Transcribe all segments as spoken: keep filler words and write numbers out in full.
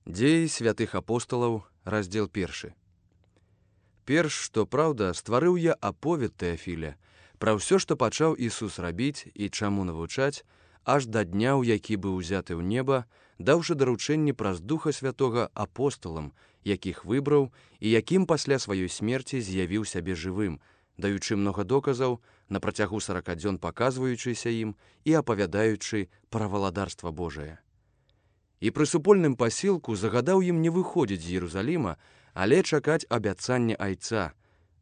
Дзеі святых апосталаў, раздзел першы. Перш, што праўда, стварыў я аповед Тэафіля пра ўсё, што пачаў Ісус рабіць і чаму навучаць, аж да дня, у які быў узяты ў неба, даўшы даручэнне праз Духа Святога апосталам, якіх выбраў і якім пасля сваёй смерці з'явіў сябе жывым, даючы многа доказаў, на працягу сарака дзён паказваючыся ім і апавядаючы пра валадарства Божае. І пры супольным пасілку загадаў ім не выходзіць з Єрусаліма, але чакаць абяцання Айца,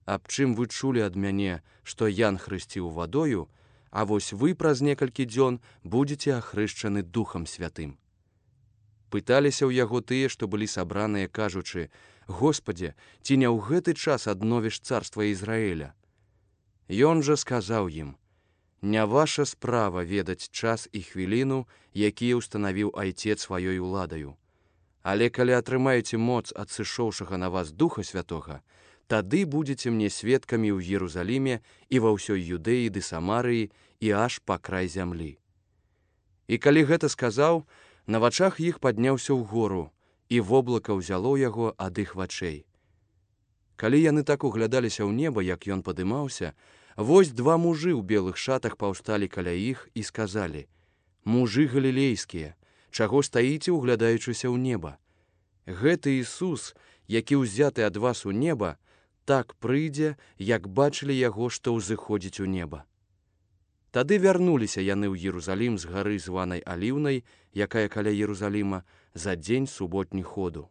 аб чым вы чулі ад мяне, што Ян хрысціў вадою, а вось вы праз некалькі дзён будзеце ахрышчаны Духам Святым. Пыталіся ў яго тыя, што былі сабраныя, кажучы: «Господзе, ці не ў гэты час адновіш царства Ізраіля?» Ён жа сказаў ім: «Не ваша справа ведаць час і хвіліну, якія ўстанавіў Айцец сваёй уладаю. Але калі атрымаеце моц ад сышоўшага на вас Духа Святога, тады будзеце мне сведкамі ў Єрусаліме і ва ўсёй Юдэі ды Самарыі і аж па край зямлі». І калі гэта сказаў, на вачах іх падняўся ўгору, і воблака ўзяло яго ад іх вачэй. Калі яны так углядаліся ў неба, як ён падымаўся, вось два мужы ў белых шатах паўсталі каля іх і сказалі: «Мужы галілейскія, чаго стаіце, углядаючыся ў неба? Гэты Ісус, які ўзяты ад вас у неба, так прыйдзе, як бачылі яго, што ўзыходзіць у неба». Тады вярнуліся яны ў Єрусалім з гары, званай Аліўнай, якая каля Єрусаліма, за дзень суботні ходу.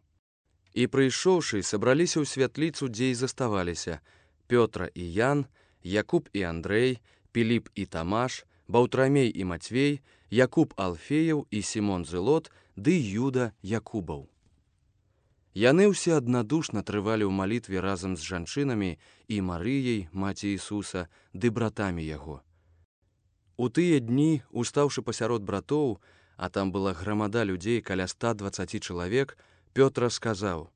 І прыйшоўшы, сабраліся ў святліцу, дзе і заставаліся Пётра і Ян, Якуб і Андрэй, Піліп і Тамаш, Баўтрамей і Мацвей, Якуб Алфеяў і Сімон Зелот, ды Юда Якубаў. Яны ўсе аднадушна трывалі ў малітве разам з жанчынамі і Марыяй, маці Ісуса, ды братамі яго. У тыя дні, устаўшы пасярод братоў, а там была грамада людзей каля ста дваццаці чалавек, Пётра сказаў: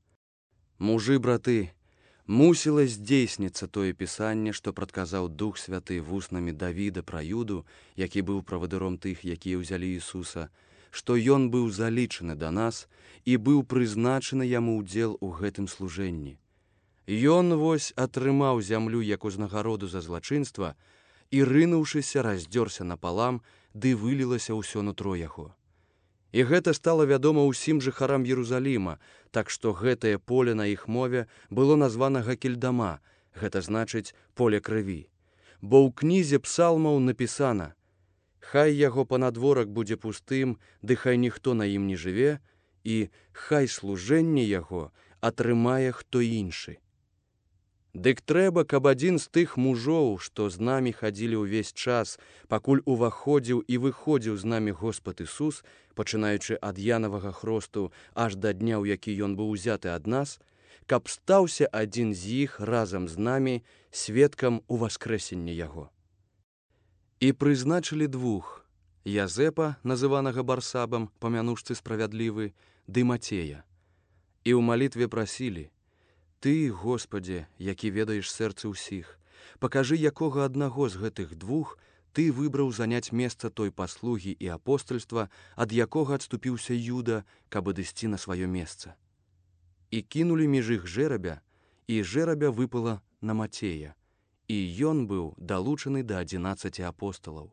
«Мужы, браты, мусіла здзейсніцца тое пісанне, што прадказаў Дух Святы вуснамі Давіда пра Юду, які быў правадыром тых, якія ўзялі Ісуса, што ён быў залічаны да нас і быў прызначаны яму ўдзел у гэтым служэнні. Ён вось атрымаў зямлю як узнагароду за злачынства, і, рынуўшыся, раздзёрся напалам, ды вылілася ўсё нутро яго. І гэта стала вядома ўсім жыхарам Єрусаліма, так што гэтае поле на іх мове было названа Гакельдама, гэта значыць поле крыві. Бо ў кнізе псалмаў напісана: «Хай яго панадворак будзе пустым, ды хай ніхто на ім не жыве, і хай служэнне яго атрымае хто іншы». Дык трэба, каб адзін з тых мужоў, што з намі хадзілі ўвесь час, пакуль уваходзіў і выходзіў з намі Господ Ісус, пачынаючы ад Янавага хросту аж да дня, у які ён быў узяты ад нас, каб стаўся адзін з іх разам з намі сведкам уваскрэсення яго. І прызначылі двух: Язэпа, называнага Барсабам, памянушцы справядлівы, ды Мацея. І ў малітве прасілі: «Ты, Господзе, які ведаеш сэрцы ўсіх, пакажы, якога аднаго з гэтых двух ты выбраў заняць месца той паслугі і апостальства, ад якога адступіўся Юда, каб адысці на сваё месца». І кінулі між іх жэрабя, і жэрабя выпала на Мацея, і ён быў далучаны да адзінаццаці апосталаў.